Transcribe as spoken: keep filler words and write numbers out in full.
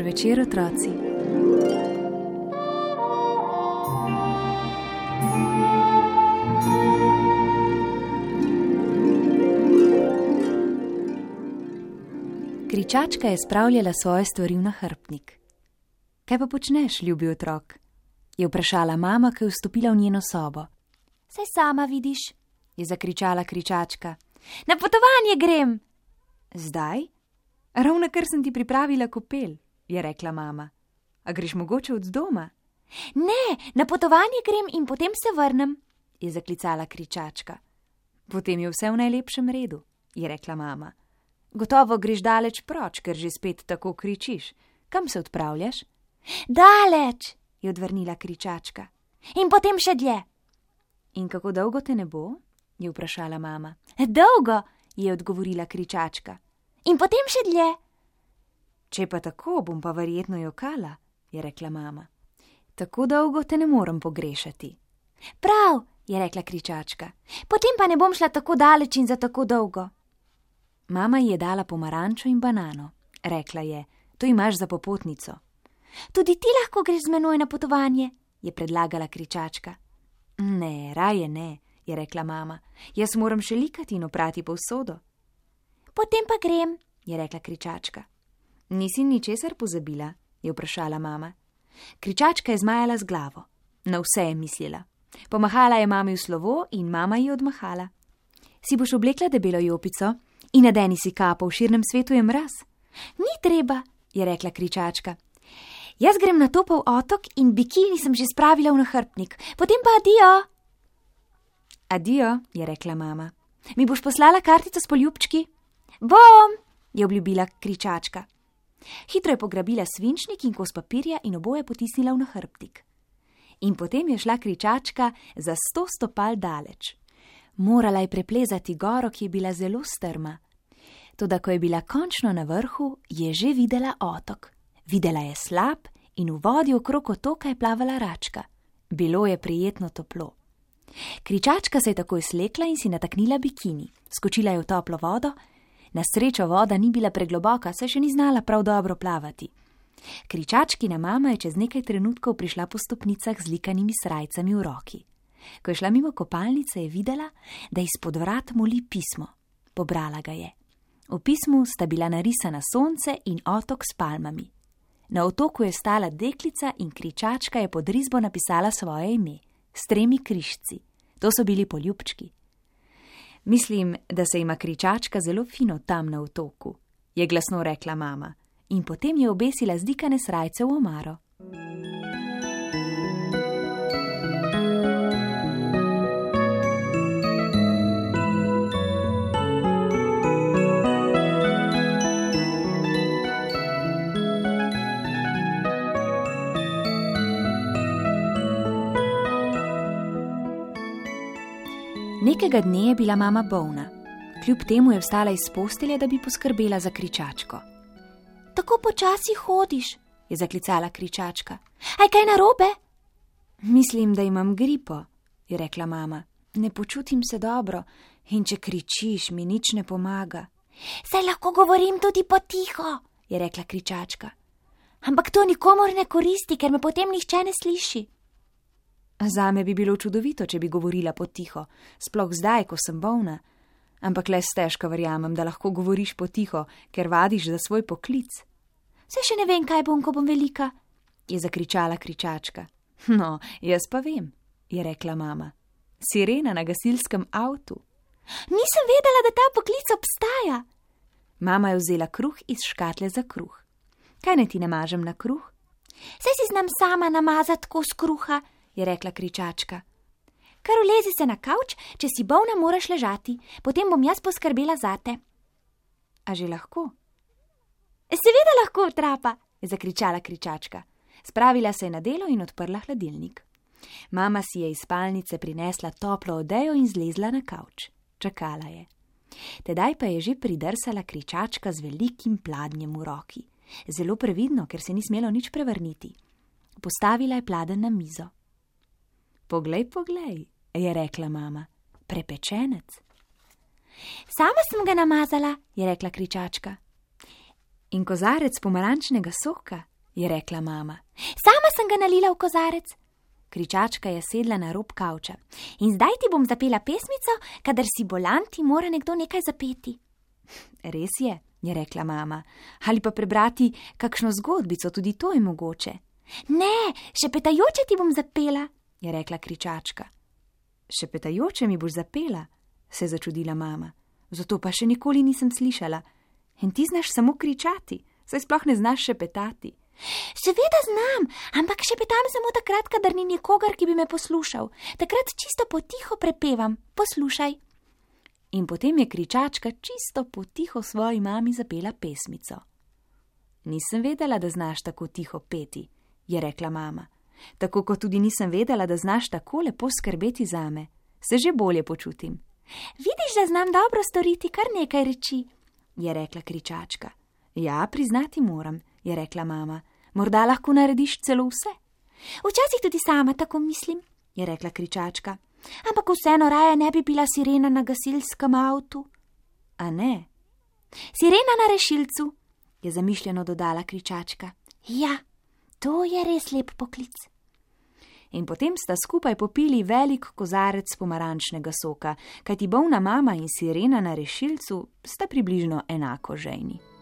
Dober večer, otroci. Kričačka je spravljala svoje stvari v nahrbtnik. Kaj pa počneš, ljubi otrok? Je vprašala mama, ko je vstopila v njeno sobo. Saj sama vidiš, je zakričala Kričačka. Na potovanje grem. Zdaj? Ravnokar sem ti pripravila kopel, je rekla mama. A greš mogoče od doma? Ne, na potovanje grem in potem se vrnem, je zaklicala Kričačka. Potem je vse v najlepšem redu, je rekla mama. Gotovo greš daleč proč, ker že spet tako kričiš. Kam se odpravljaš? Daleč, je odvrnila Kričačka. In potem še dlje. In kako dolgo te ne bo? Je vprašala mama. Dolgo, je odgovorila Kričačka. In potem še dlje. Če pa tako, bom pa verjetno jokala, je rekla mama. Tako dolgo te ne morem pogrešati. Prav, je rekla Kričačka. Potem pa ne bom šla tako daleč in za tako dolgo. Mama ji je dala pomarančo in banano. Rekla je, to imaš za popotnico. Tudi ti lahko greš z menoj na potovanje, je predlagala Kričačka. Ne, raje ne, je rekla mama. Jaz moram še likati in oprati povsodo. Potem pa grem, je rekla Kričačka. Nisi ničesar pozabila, je vprašala mama. Kričačka je zmajala z glavo. Na vse je mislila. Pomahala je mami v slovo in mama ji odmahala. Si boš oblekla debelo jopico in nadeni si kapo, v širnem svetu je mraz? Ni treba, je rekla Kričačka. Jaz grem na topel otok in bikini sem že spravila v nahrbtnik. Potem pa adijo. Adijo, je rekla mama. Mi boš poslala kartico s poljubčki? Bom, je obljubila Kričačka. Hitro je pograbila svinčnik in kos papirja in oboje potisnila v nahrbtnik. In potem je šla Kričačka za sto stopal daleč. Morala je preplezati goro, ki je bila zelo strma. Toda ko je bila končno na vrhu, je že videla otok. Videla je slap in v vodi okrog otoka je plavala račka. Bilo je prijetno toplo. Kričačka se je takoj slekla in si nataknila bikini. Skočila je v toplo vodo. Na srečo voda ni bila pregloboka, saj še ni znala prav dobro plavati. Kričačkina mama je čez nekaj trenutkov prišla po stopnicah z likanimi srajcami v roki. Ko je šla mimo kopalnice, je videla, da izpod vrat moli pismo. Pobrala ga je. V pismu sta bila narisana sonce in otok s palmami. Na otoku je stala deklica in Kričačka je pod risbo napisala svoje ime, s tremi križci. To so bili poljubčki. Mislim, da se ima Kričačka zelo fino tam na otoku, je glasno rekla mama in potem je obesila zdikane srajce v omaro. Nekega dne je bila mama bolna. Kljub temu je vstala iz postelje, da bi poskrbela za Kričačko. Tako počasi hodiš, je zaklicala Kričačka. Aj kaj narobe? Mislim, da imam gripo, je rekla mama. Ne počutim se dobro in če kričiš, mi nič ne pomaga. Saj lahko govorim tudi potiho, je rekla Kričačka. Ampak to nikomur ne koristi, ker me potem nihče ne sliši. Zame bi bilo čudovito, če bi govorila potiho, sploh zdaj, ko sem bolna. Ampak le stežka verjamem, da lahko govoriš potiho, ker vadiš za svoj poklic. Saj še ne vem, kaj bom, ko bom velika, je zakričala Kričačka. No, jaz pa vem, je rekla mama. Sirena na gasilskem avtu. Nisem vedela, da ta poklic obstaja. Mama je vzela kruh iz škatle za kruh. Kaj naj ti namažem na kruh? Saj si znam sama namazati kos kruha, je rekla Kričačka. Kar ulezi se na kavč, če si bolna, moraš ležati, potem bom jaz poskrbela zate. A že lahko? Seveda lahko, trapa, je zakričala Kričačka. Spravila se je na delo in odprla hladilnik. Mama si je iz spalnice prinesla toplo odejo in zlezla na kavč. Čakala je. Tedaj pa je že pridrsala Kričačka z velikim pladnjem v roki. Zelo previdno, ker se ni smelo nič prevrniti. Postavila je pladenj na mizo. Poglej, poglej, je rekla mama. Prepečenec. Sama sem ga namazala, je rekla Kričačka. In kozarec pomarančnega soka, je rekla mama. Sama sem ga nalila v kozarec. Kričačka je sedla na rob kavča. In zdaj ti bom zapela pesmico, kadar si bolan, ti mora nekdo nekaj zapeti. Res je, je rekla mama. Ali pa prebrati kakšno zgodbico, tudi to je mogoče. Ne, šepetajoče ti bom zapela, je rekla kričačka. Šepetajoče mi boš zapela, se je začudila mama. Zato pa še nikoli nisem slišala. In ti znaš samo kričati, saj sploh ne znaš šepetati. Seveda znam, ampak šepetam samo takrat, kadar ni nikogar, ki bi me poslušal. Takrat čisto potiho prepevam. Poslušaj. In potem je kričačka čisto potiho svoji mami zapela pesmico. Nisem vedela, da znaš tako tiho peti, je rekla mama. Tako kot tudi nisem vedela, da znaš tako lepo skrbeti zame. Se že bolje počutim. Vidiš, da znam dobro storiti kar nekaj reči, je rekla kričačka. Ja, priznati moram, je rekla mama. Morda lahko narediš celo vse. Včasih tudi sama tako mislim, je rekla kričačka. Ampak vseeno raje ne bi bila sirena na gasilskem avtu. A ne? Sirena na rešilcu, je zamišljeno dodala kričačka. Ja, to je res lep poklic. In potem sta skupaj popili velik kozarec pomarančnega soka, kajti bolna mama in sirena na rešilcu sta približno enako žejni.